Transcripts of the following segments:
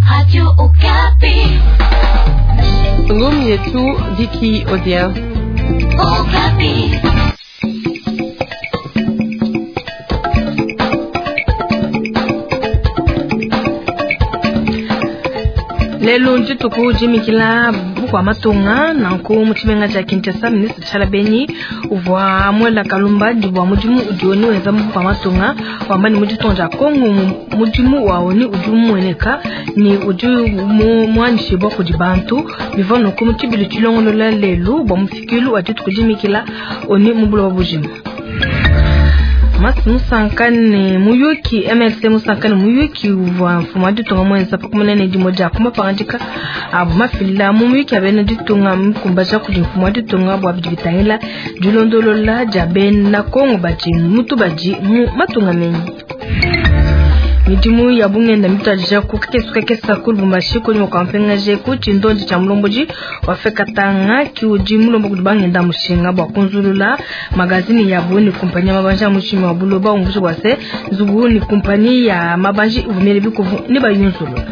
Radio Okapi. Ngumi yetu Viki Odia. Okapi. Lelu dituku jimikila bukua matunga nanku mu tshimenga tshia Kinshasa ministre Tshiala Benyi uvua muela kalumbandi bua mudimu udi ONU wenza mu bukua matunga wamba ne mu ditunga dia Kongo mudimu wa ONU udi umueneka ne udi muanyishibua kudi bantu. Bivua nunku mu tshibilu tshilongolola lelu bua mufikilu wa dituku dimikila ONU mu buloba bujima. Mas musanka ne muyuki MLC musanka ne muyuki uvua mfumu wa ditunga muenza pa kumona ne dimue dia ku mapangadika abu mafila mu muyuki ya bena ditunga mikumbaja kudi mfumu wa ditunga bua bidi bitangila dilondolola dia bena Kongo badi mutu badi mu matunga menyi. Midimu ya bungenda mituadija ku kakese kakese ku Lubumbashi kunyima kua mpingaje ku tshindondi tshia mulombodi wa FECATANGA ki udi mulomba kudi bangenda mushinga bua kunzulula magazini yabu ne kumpanyi ya mabanji a mushimi wa buloba umvuija bua se nzubu ne kumpanyi ya mabanji ivua miele bikuvu ne bayunzulula.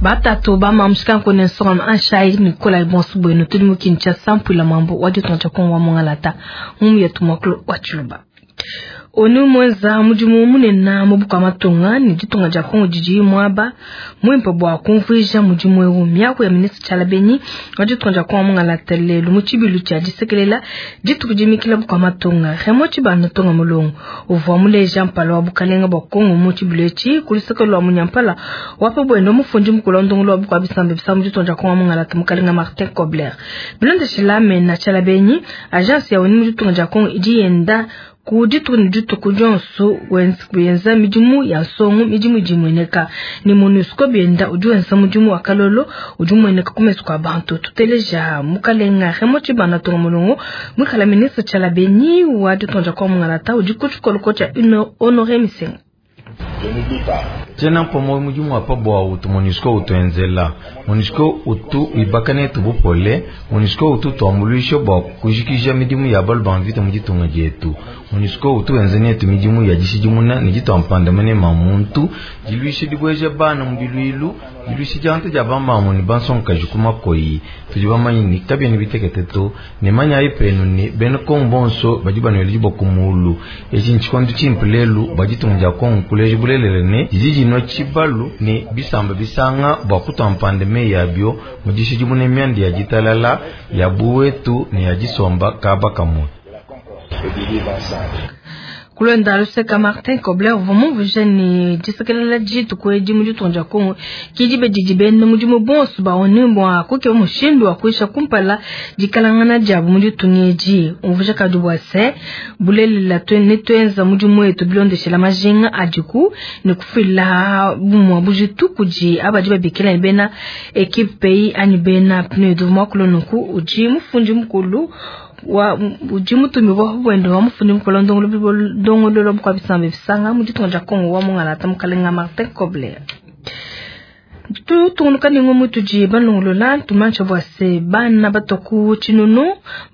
Batatu ba mamushika ne nsonga anshai Nicolas bonso bwenu tudi mu Kinshasa mpuila mambo wa ditunga dia Kongo wa Mongalata mu yetu mwakulu wa Tshiluba. ONU mwenza mudimu munene mu bukua matunga ne ditunga dia Kongo didi muaba muimpe bua kumvuija mudimu eu. Miaku ya ministre Tshiala Benyi wa ditunga dia Kongo mungalata lelu mu tshibilu tshia disekelela dituku dimikila bukua matunga. Raymond Tshibanda Ntonga Mulongo uvua muleja mpala wa bukalenga bua Kongo mu tshibilu etshi ku luseke lua munyampala wa pa buende mufundi mukulu wa ndongolo wa bukua bisamba bisa mu ditunga dia Kongo mungalata mukalenga Martin Kobler. Bilondeshila mena Tshiala Benyi agence ya ONU mu ditunga dia Kongo idi yenda ku dituku ne dituku dionso wenza midimu ya nsongo midimu idi imueneka ne MONUSCO bienda udi wenza mudimu wa kalolo udi umueneka ku mesu kua bantu. Tuteleja mukalenga Raymond Tshibanda Ntonga Mulongo muikala ministre Tshiala Benyi wa ditunga dia Kongo mungalata udi ku tshikoloko tshia Honore Misenga. Tshiena mpua mudimu wa pa buawu utu MONUSCO utuenzela. MONUSCO utu wibaka netu bupole. MONUSCO utu utuambuluisha bua kujikija midimu ya balu ba mvita mu ditunga dietu. MONUSCO utu wenza netu midimu ya dishidimuna ne ditua mpanda manema a muntu, diluisha dibueja bana mu biluilu, diluisha dianta dia bamamu ne bansongakaji ku makoyi. Tudi bamanye ne kabiena bitekete to, ne manyayi penu ne bena Kongo bonso badi banuela diboko mulu. Etshi ntshikondo tshimpe lelu bua ditunga dia Kongo kuleja bulelela ne didi dinua tshibalu ne bisamba bisanga bua kutua mpanda meyi abio mu dishidimuna mianda ya ditalala ya buwetu ne ya disomba kaba kamue. Kulwenda luseka Martin Kobler uvua mumvuije ne disekelela dituku edi mu ditunga dia Kongo ki dibe didi bena mudimu bonso ba ONU bua kukeba mushindu wa kuisha kumpala dikalangana diabu mu ditunga edi. Umvuija kadi bua se bulelela ne tuenza mudimu wetu bilondeshela majinga adiku ne kufila bumue bujitu kudi abadi babikila ne bena equipe pays anyi bena PNUD. Muakulu nunku udi mufundi mukulu wa udi mutumibua buende wa mufundi mukulu ndongololo bukua bisamba bisanga mu ditunga dia Kongo wa mungalata mukalenga Martin Kobler. Tutungunuka ne ngumu tudi balongolola tumantsha bua se bana batua ku tshinunu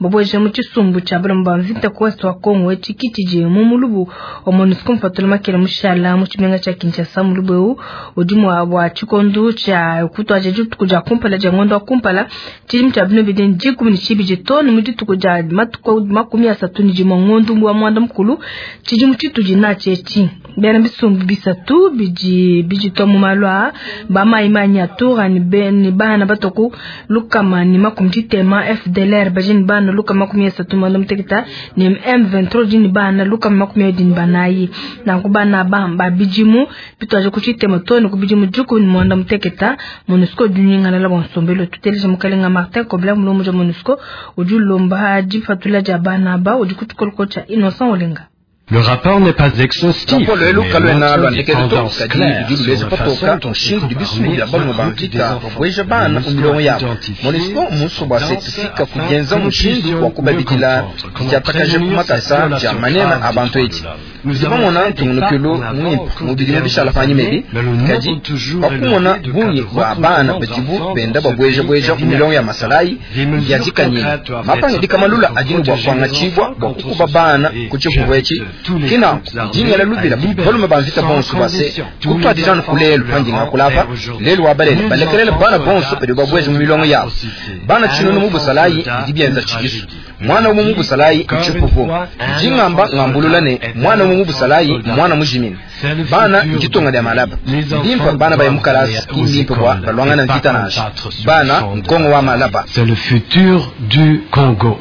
babueja mu tshisumbu tshia balomba ba mvita ku ouest wa Kongo etshi ki tshidi mu mulubu wa MONUSCO mupatula makela mushala mu tshimenga tshia Kinshasa. Mulubu eu udi mua bua tshikondo tshia kutuadija dituku dia kumpala dia ngondo wa kumpala tshidimu tshia bino bidi 12 too ne mu dituku dia matuku 31 ngondo wa mwanda mukulu tshidimu tshitudi natshi etshi. Bena bisumbu bisatu bidi biditua mu malu aa ba mai Nyatura ni ne bana batoku lukama ni 60 FDLR baji ni bana lukama 35 ni M23 ni bana lukama 24 na kubana ba bijimu bitwaje kuchitema to ni kubijimu juku ni mwanda muteketa MONUSCO dunyingana la bonsombelo tuteleje mukalenga Martin Kobler mulomo ja MONUSCO udi lomba difatula ja bana ba udi kutukoloko cha Innocent Olenga. Le rapport n'est pas exhaustif, Raporo elu mais kaluena montre des lwandikele to tendances kadi claires ludi sur luleja la façon patoka dont ces mushindu groupes bisumbu armés bia balume ba recrutent des mvita enfants. babueja bana mu MONUSCO milongo a yabo. identifié MONUSCO musu bua se tendances tufika afin kugenza que nous mushindu puissions wa mieux kubabidila comprendre comment diatakaje ku prévenir cette makasa dia violation manema grave a des bantu droits edi. de l'homme. Nous Tudi avons bamona fait des pas ntungunukilo en avant au muimpe cours mu des bidimu bishala dernières panyima années, ebi mais le nombre kadi toujours pakumona élevé de cas bungi de bua bana recrutement badibu d'enfants benda dans ce babueja pays bueja est ku milongo ya inacceptable. masalayi Des mesures biadikanyi concrètes doivent mapanga être dikamalula prises adi pour ne bua protéger les kuangatshibua enfants bua contre kukuba ce bana et ku tshivuvu etshi j'invite Ke nanku, ndi ngela lubila kudi balume ba mvita bonso bua se, kutuadija anu ku lelu pandi ngakula apa, lelu wa balele balekelele bana bonso badibu babueje mu milongo yabu. Bana tshinunu mu busalayi bidi bienza tshikisu. Muana umue mu busalayi ntshipupu. Ndi ngamba ngambulula ne, muana umue mu busalayi mmuana mujimine. Bana nditunga dia malaba. Mbimpe bana baye mu kalasa, ki mbimpe bua baluangane mvita nansha. Bana nkongo wa malaba. C'est le futur du Congo.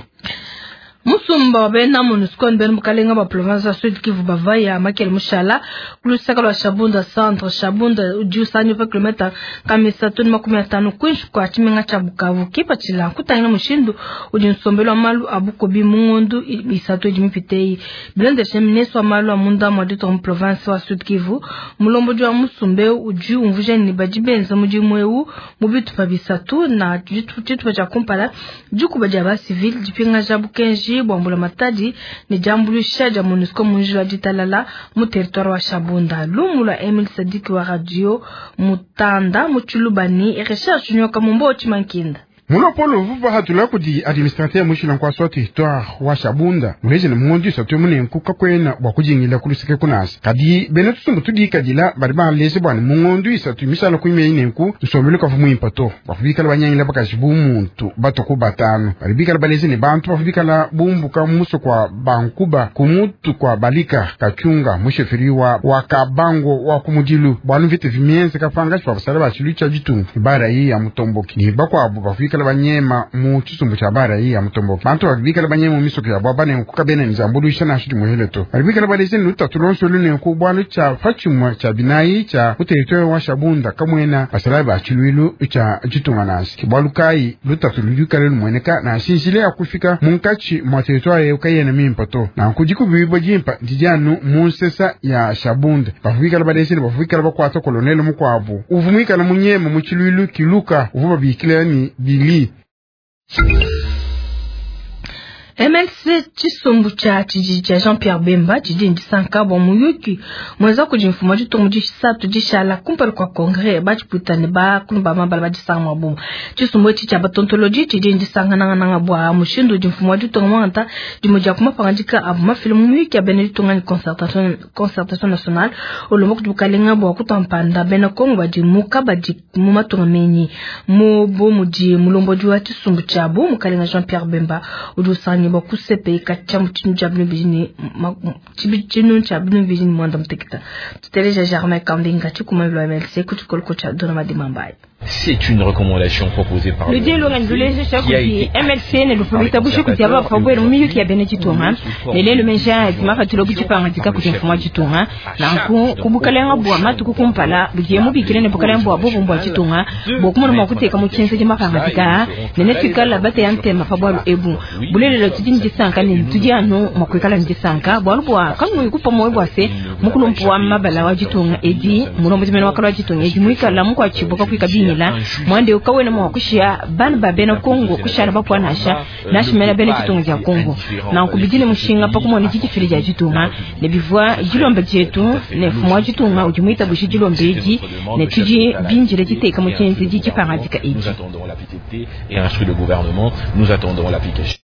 Musumba wa bena MONUSCO ne bena bukalenga bua province wa Sud Kivu bavaya makele mushala ku lusaka lua Shabunda centre. Shabunda udi usangiwa pa kilometa 350 kuinshi kua tshimenga tshia Bukavu. Kipatshila nkutangila mushindu udi nsombelu wa malu a bukubi mu ngondu isatu idi mipite eyi. Bilondeshile ministre wa malu a munda mua ditunga mu province wa Sud Kivu, mulombodi wa musumba eu udi umvuija ne badi benza mudimu eu mu bitupa bisatu na tshitupa tshia kumpala dikuba dia ba civil, dipingaja bukenji bua mbulamatadi ne diambuluisha dia MONUSCO mu njila wa ditalala mu territoire wa Shabunda. Lumu lua Emile Sadiki wa radio Mutanda mu Tshiluba ne Recherche Nyoka mu Mbo Tshimankinda. Mulopolo uvua bahatula kudi administrateur mushila nkuasa wa territoire wa Shabunda muleje ne mu ngondo isatu emu nenku kakuena bua kujingila ku luseke kunasa. Kadi bena tusumbu tudikadila badi baleje bua ne mu ngondo isatu mishala ku imeyi nenku nsombelu kavua muimpe to. Bavua bikala banyangila bakaji bu muntu batue ku batanu. Badi bikala baleje ne bantu bavua bikala bumbuka mu musoko wa Bankuba ku mutu kua Balika Kakyunga mu chefferie wa wa Kabango wa ku mudilu bualu mvita ivua mienzeka pankatshi pa basala ba tshiluilu tshia ditunga ne ba raia Mutomboki ne bakuabu bavua bikala banyema mu tshisumbu tshia ba raia Mutomboki. Bantu badi bikala banyema mu misoko yabu aba nenku kabena ne diambuluisha nansha dimuele to. Badi bikala baleja ne lutatu luonso elu nenku bualu tshia pa tshimue tshia binayi tshia mu territoire wa Shabunda kamuena basalayi ba tshiluilu tshia ditunga nansha. Ke bualu kayi lutatu ludi lukale lumueneka nansha njila ya kufika munkatshi mua territoire eu kayena mimpe to. Nanku dikubibua dimpe didi anu mu nsesa ya Shabunda. Bavua bikala baleja ne bavua bikala bakuata kolonele mukuabu uvua muikale munyema mu tshiluilu Kiluka uvua babikila ne Billy. MLC tshisumbu tshia tshididi tshia Jean-Pierre Bemba tshidi ne disanka bua muyuki muenza kudi mfumu wa ditunga mu disatu dishala kumpala kua kongre ba tshipuita ne bakulu ba mabala ba disanga mua bumue. Tshisumbu etshi tshia batontolodi tshidi ne disanka nangananga bua mushindu udi mfumu wa ditunga muangata dimue dia ku mapangadika avua mafile mu muyuki ya bena ditunga ne concertation, concertation nationale ulomba kudi bukalenga bua kutua mpanda bena Kongo badi mu kabadi mu matunga menyi. Mu bu mudi mulombodi wa tshisumbu tshiabu mukalenga Jean-Pierre Bemba udi usangibua ku CPI katshia mu tshinu tshia binu bidi ne tshinu tshia binu bidi ne muanda mutekete. Tuteleja Germain Kambinga tshikumambi lua MLC ku tshikoloko tshia Dona Madima Mbaye. C'est une recommandation proposée par Ludi lungenyi luleja kudi MLC ne luvua luitabuje kudi aba bavua babuele mu miyuki ya bena ditunga ne lelu meji aa adi mapatula bu dipangadika kudi mfumu wa ditunga. Nanku ku bukalenga bua matuku kumpala budiye mubikile ne bukalenga bua bumfumu bua ditunga bua kumona mua kuteka mu tshienzedi mapangadika aa ne netuikale bateya ntema pa bualu ebu. Bulelela tudi ne disanka ne tudi anu mua kuikala ne disanka bualu bua kanuyi kupua muoyo bua se mukulumpu wa mabala wa ditunga edi mulombodi mene wa kale wa ditunga edi muikala mukuatshibua kakuyi kabingila muanda eu kawena mua kushiya bana ba bena Kongo kushala bapua nansha nansha mena bena ditunga dia Kongo. Nanku bidi ne mushinga pa kumona didifila dia ditunga ne bivua dilomba dietu ne mfumu wa ditunga udi muitabuje dilomba edi ne tudi bindile diteka mu tshienzedi dipangadika edi. Nous attendons la PTT et instruit le gouvernement, nous attendons l'application.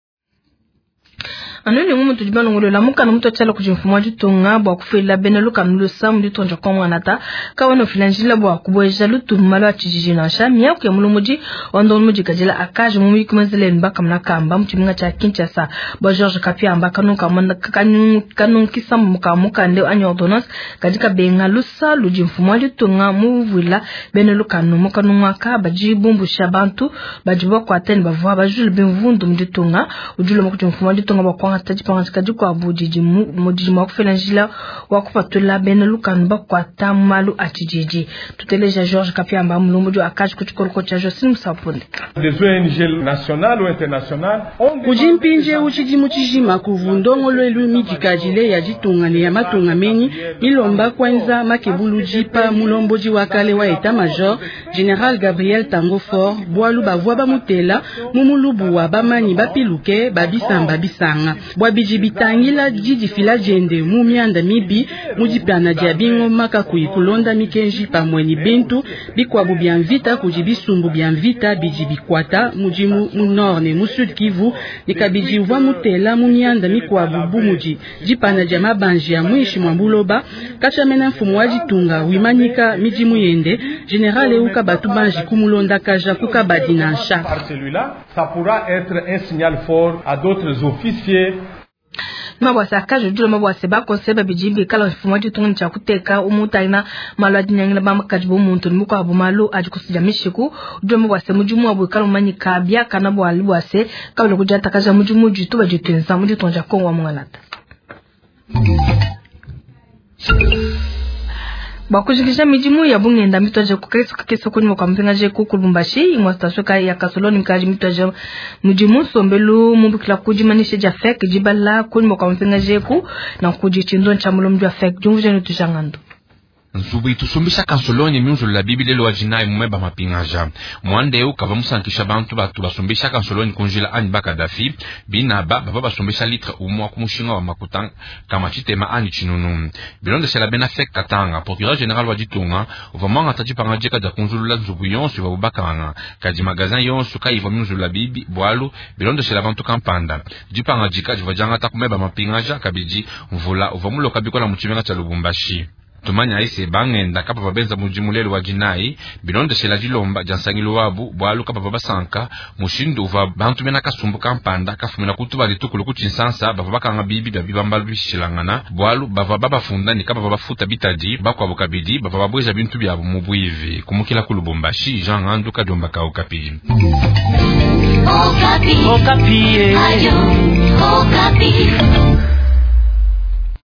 Anu ne ngumu tudi balongolola mukanda mutua tshiala kudi mfumu wa ditunga bua kufuila bena lukanu lusa mu ditunga dia Kongo Anata kawena ufila njila bua kubueja lutulu mu malu a tshijiji nansha. Miaku ya mulombodi wa ndongo mudikadila akaji mu muyuki muenzela ne bakamuna kamba mu tshimenga tshia Kinshasa bua Georges Kapiamba kanunka kanunkisa ka mukanda anyi ordonnance kadi kabenga lusa ludi mfumu wa ditunga muvuila bena lukanu mu kanungu aka badi bumbusha bantu badi bakuata ne bavua bajule bimvundu mu ditunga. Udi ulomba kudi mfumu wa ditunga bua kuangata dipangadika dikuabu didi mua kufila njila wa kupatula bena lukanu bakuata mu malu a tshididi. Tuteleja Georges Kapiamba mulombodi wa akaji ku tshikoloko tshia Jocelyne Musapunde. Kudi mpindieu tshidimu tshijima kuvu ndongoluelu midikadile ya ditunga ne ya matunga menyi milomba kuenza makebuludi pa mulombodi wa kale wa etat-major General Gabriel Tango Fort bualu bavua bamutela mu mulubu wa bamanyi bapiluke ba bisamba bisanga. Bua bidi bitangila didifila diende mu mianda mibi mu dipana dia bingoma kakuyi kulonda mikenji pamue ne bintu bikuabu bia mvita kudi bisumbu bia mvita bidi bikuata mudimu mu Nord ne mu Sud Kivu, ne kabidi uvua mutela mu mianda mikuabu bu mudi dipana dia mabanji a muinshi mua buloba. Katshia mena mfumu wa ditunga wimanyika midimu yende, general eu kabatu banji kumulondakaja ku kabadi nansha. Par celui-là, ça pourra être un signal fort à d'autres officiers. Mabwase akaji udi mabwase bakose babidi bikala mfumu wa ditunga tshia kuteka umutangila malu adi nyangila bamakaji bo muntu ne mukuabu malu adi kusudia mishiku. Udi mabwase mudimu wabu ikala mumanyika biakana bua bwase kabila kudiatakaja mudimu ditu badituenza mu ditunga dia Kongo wa Mungalata. Bakujikisha midimu ya bungenda mitwaje kukresu kakeso kunyuma kwa mpingaje ku Lubumbashi imwa station ka ya Kasoloni mkaji mitwaje mudimu sombelu mubikila kujimanisha ja FEC jibala kunyuma kwa mpingaje ku na kujichindo cha mulombi wa FEC jumvuje nutujangando. Nzubu itusumbisha kansolonyi miunzulula bibilelo wa jinayi mumeba mapingaja mwandeu kava musankisha bantu batu basumbisha kansolonyi kunjila anyi bakadafi binaba bava basumbisha litre umwa ku mushinga wa makuta kama tshitema anyi tshinunu bilondeshela bena FEC Katanga. Procureur général wa ditunga uvua mwangata dipanga dika dia kunzulula nzubu yonso ivua bubakanga kadi magazin yonso kayivua miunzulula bibi bwalu bilondeshela bantu kampanda dipanga dika divua diangata kumeba mapingaja kabidi mvula uvua muloka bikola mu tshimenga tshia Lubumbashi. Tumanya ise bangenda kapa babenza mudimu lelu wa jinayi bilondeshela dilomba dia nsangilu wabu bwalu kapa babasanka mushindu uvua bantu bena kasumbu kampanda kafumina kutuba ditukulu ku tshinsansa bavua bakanga bibi bia bibambalu bishilangana bwalu bavua babafunda ne kapa babafuta bitadi bakuabu kabidi bavua babweja bintu biabu mu bwivi kumukila ku Lubumbashi. Jean Ngandu Kadiomba ka Okapi. Okapi. Okapi. Ayo, Okapi.